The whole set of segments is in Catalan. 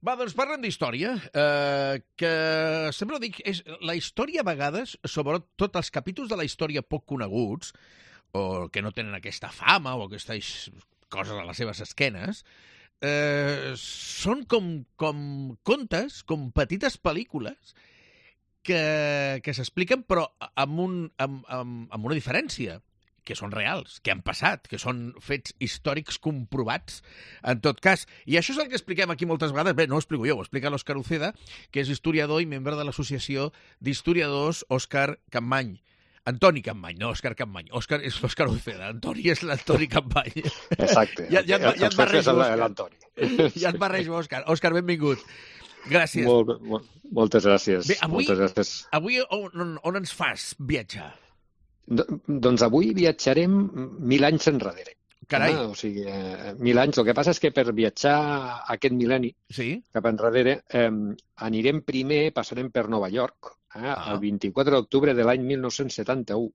Va, doncs parlem d'història, que sempre ho dic, és la història a vegades, sobretot els capítols de la història poc coneguts, o que no tenen aquesta fama o aquestes coses a les seves esquenes, són com contes, com petites pel·lícules que s'expliquen però amb una diferència, que són reals, que han passat, que són fets històrics comprovats, en tot cas. I això és el que expliquem aquí moltes vegades. Bé, no ho explico jo, ho explica l'Òscar Uceda, que és historiador i membre de l'Associació d'Historiadors Òscar Campmany. Antoni Campmany, no Òscar Campmany. Òscar és l'Òscar Uceda, Antoni és l'Antoni Campmany. Exacte. Ja et barrejo, l'Antoni. Ja et barrejo, Òscar. Òscar, benvingut. Gràcies. Moltes gràcies. Bé, moltes gràcies. Avui on ens fas viatjar? Doncs avui viatjarem 1000 anys enrere. Carai. O sigui, 1000 anys. El que passa és que per viatjar aquest mil·lenni cap enrere anirem primer, passarem per Nova York, el 24 d'octubre de l'any 1971,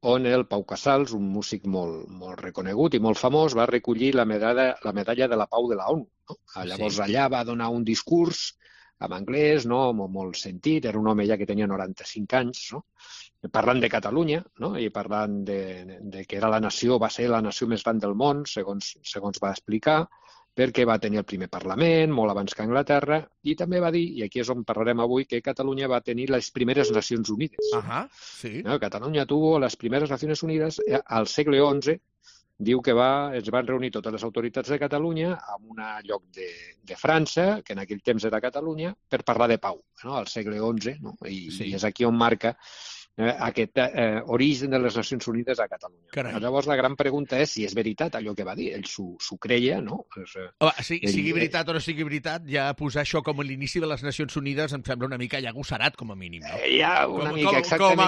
on el Pau Casals, un músic molt reconegut i molt famós, va recollir la medalla de la Pau de la ONU. No? Llavors allà va donar un discurs en anglès, no? Molt sentit, era un home ja que tenia 95 anys, no? Parlant de Catalunya, no? I parlant de que era va ser la nació més gran del món, segons va explicar, perquè va tenir el primer Parlament, molt abans que Anglaterra, i també va dir, i aquí és on parlarem avui, que Catalunya va tenir les primeres Nacions Unides. Sí. No? Catalunya tuvo les primeres Nacions Unides al segle XI. Diu que es van reunir totes les autoritats de Catalunya en un lloc de França, que en aquell temps era Catalunya, per parlar de pau, no? Al segle XI, no? I és aquí on marca aquest origen de les Nacions Unides a Catalunya. Carai. Llavors la gran pregunta és si és veritat allò que va dir. Ell s'ho creia, no? Sigui veritat o no sigui veritat, ja posar això com a l'inici de les Nacions Unides em sembla una mica ja agossarat, com a mínim. No? Ja, una mica, exactament.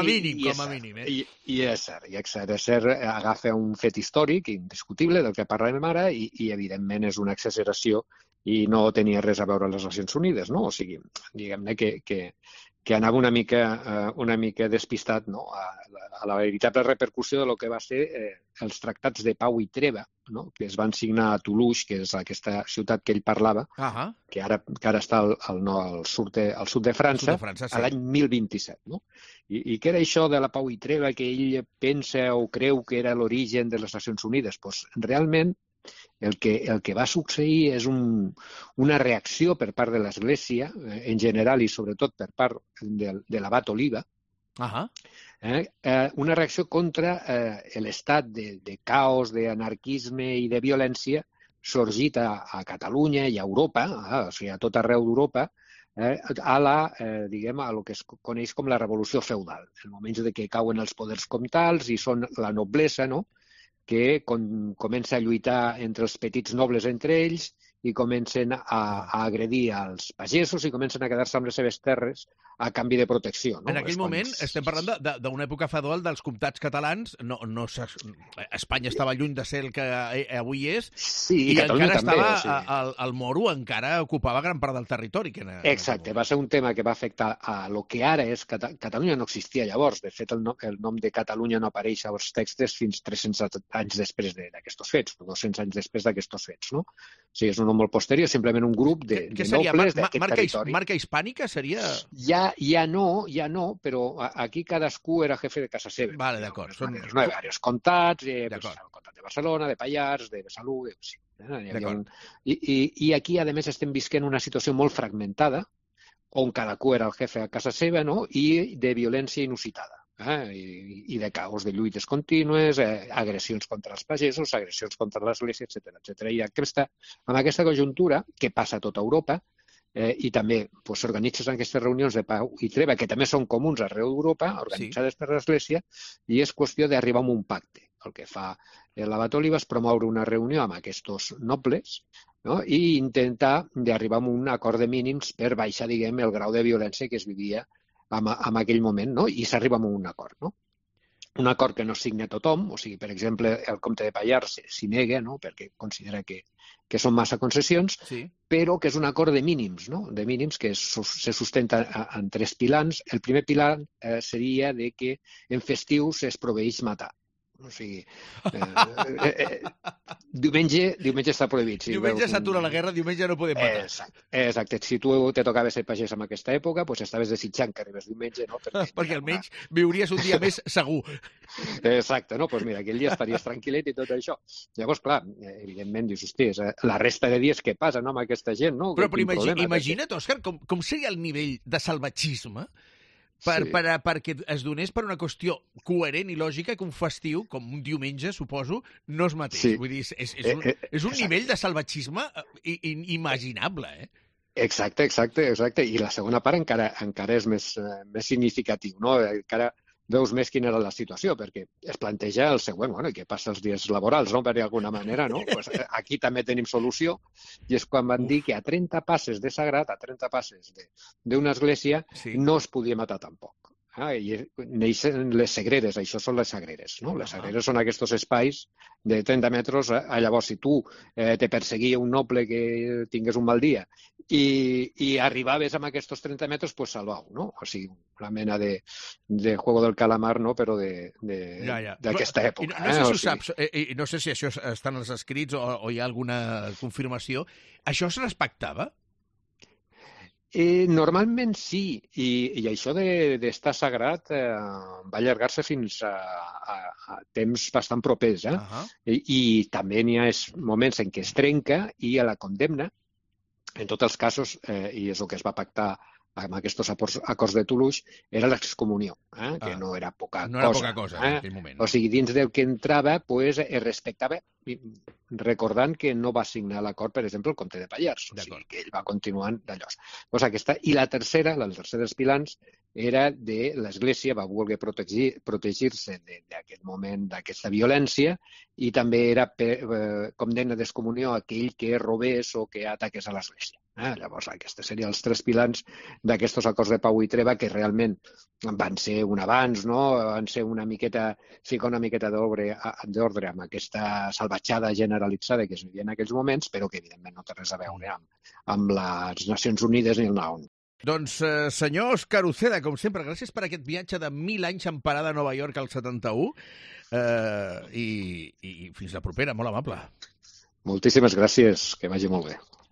Com a mínim. I és cert. Agafa un fet històric indiscutible del que parlem ara i evidentment és una exageració i no tenia res a veure amb les Nacions Unides, no? O sigui, diguem-ne que anava una mica despistat, no? a la veritable repercussió de lo que va ser els tractats de pau i treva, no? Que es van signar a Toulouse, que és aquesta ciutat que ell parlava, que ara està al sud de França, a l'any 1027. No? I què era això de la pau i treva que ell pensa o creu que era l'origen de les Nacions Unides? Pues, realment, el que va succeir és una reacció per part de l'Església, en general i sobretot per part de l'abat Oliva, una reacció contra l'estat de caos, d'anarquisme i de violència sorgit a Catalunya i a Europa, o sigui, a tot arreu d'Europa, a lo que es coneix com la revolució feudal, en moments de que cauen els poders comtals i són la noblesa, no?, que comença a lluitar entre els petits nobles entre ells i comencen a agredir als pagesos i comencen a quedar-se amb les seves terres a canvi de protecció. No? En aquell moment estem parlant d'una època feudal dels comtats catalans. Espanya estava lluny de ser el que avui és, i encara estava el moro, encara ocupava gran part del territori. Exacte, va ser un tema que va afectar a lo que ara és Catalunya. No existia llavors. De fet, el nom de Catalunya no apareix als textos fins 300 anys després d'aquests fets, 200 anys després d'aquests fets. No? O sigui, és un nom molt posterior, simplement un grup de nobles d'aquest territori. Marca hispànica seria... Ja no, però aquí cadascú era jefe de casa seva. Vale, d'acord. No hi havia diversos comtats, el comtat de Barcelona, de Pallars, de Besalú... Sí. I aquí, a més, estem visquent una situació molt fragmentada, on cadascú era el jefe a casa seva, no? I de violència inusitada. I de caos, de lluites contínues, agressions contra els pagesos, agressions contra l'Església, etc. I amb aquesta conjuntura, que passa a tota Europa, i també s'organitzen aquestes reunions de pau i treva, que també són comuns arreu d'Europa, organitzades per l'Església, i és qüestió d'arribar a un pacte. El que fa l'abat Oliva és promoure una reunió amb aquests nobles, no? I intentar d'arribar a un acord de mínims per baixar, el grau de violència que es vivia en aquell moment, no? I s'arriba a un acord, no? Un acord que no signa tothom, o sigui, per exemple, el comte de Pallars s'hi nega, no?, perquè considera que són massa concessions, però que és un acord de mínims, no?, de mínims que se sustenta en 3 pilars. El primer pilar seria de que en festius es proveeix matar. O sigui, diumenge està prohibit. Diumenge s'atura la guerra, diumenge no podem matar. Exacte. Si tu te tocava ser pagès en aquesta època, doncs estaves desitjant que arribés diumenge, no? Perquè almenys viuries un dia més segur. Exacte, no? Doncs mira, aquell dia estaries tranquil·let i tot això. Llavors, clar, evidentment, dius, hosti, la resta de dies què passa, no, amb aquesta gent, no? Però imagina't, Òscar, com seria el nivell de salvatgisme perquè es donés per una qüestió coherent i lògica que un festiu, com un diumenge, suposo, no es mateix. Sí. Vull dir, és un nivell de salvatgisme inimaginable, eh? Exacte. I la segona part encara és més significatiu, no? Encara veus més quina era la situació, perquè es planteja el següent, bueno, què passa els dies laborals, no?, per d'alguna manera, no? Pues aquí també tenim solució, i és quan van dir que a 30 passes de sagrat, a 30 passes d'una església, no es podia matar tampoc. I neixen les sagreres, això són les sagreres, no? Les sagreres són aquests espais de 30 metres, llavors si tu te perseguia un noble que tingués un mal dia i arribaves amb aquests 30 metres, pues salvau, no? O sigui, una mena de juego del calamar, no?, però d'aquesta època. No sé si això està en els escrits o hi ha alguna confirmació. Això es respectava? Normalment sí, i això d'estar sagrat va allargar-se fins a temps bastant propers. I també n'hi ha moments en què es trenca i a la condemna, en tots els casos, i és el que es va pactar amb aquests acords de Toulouse, era l'excomunió, que no era poca cosa. No era poca cosa en aquell moment. O sigui, dins del que entrava, pues, es respectava, recordant que no va signar l'acord, per exemple, el comte de Pallars, o sigui, que ell va continuant d'allò. Pues aquesta. I la tercera dels pilars, era de l'Església, va voler protegir-se d'aquest moment, d'aquesta violència, i també era condemna d'excomunió aquell que robés o que ataqués a l'Església. Llavors, aquests serien els 3 pilars d'aquests acords de pau i treva que realment van ser un avanç, no? Van ser ficar una miqueta d'ordre amb aquesta salvatjada generalitzada que es vivia en aquells moments, però que evidentment no té res a veure amb les Nacions Unides ni el NAON. Doncs, senyor Òscar Uceda, com sempre, gràcies per aquest viatge de 1000 anys en parada a Nova York al 71 i fins la propera, molt amable. Moltíssimes gràcies, que vagi molt bé.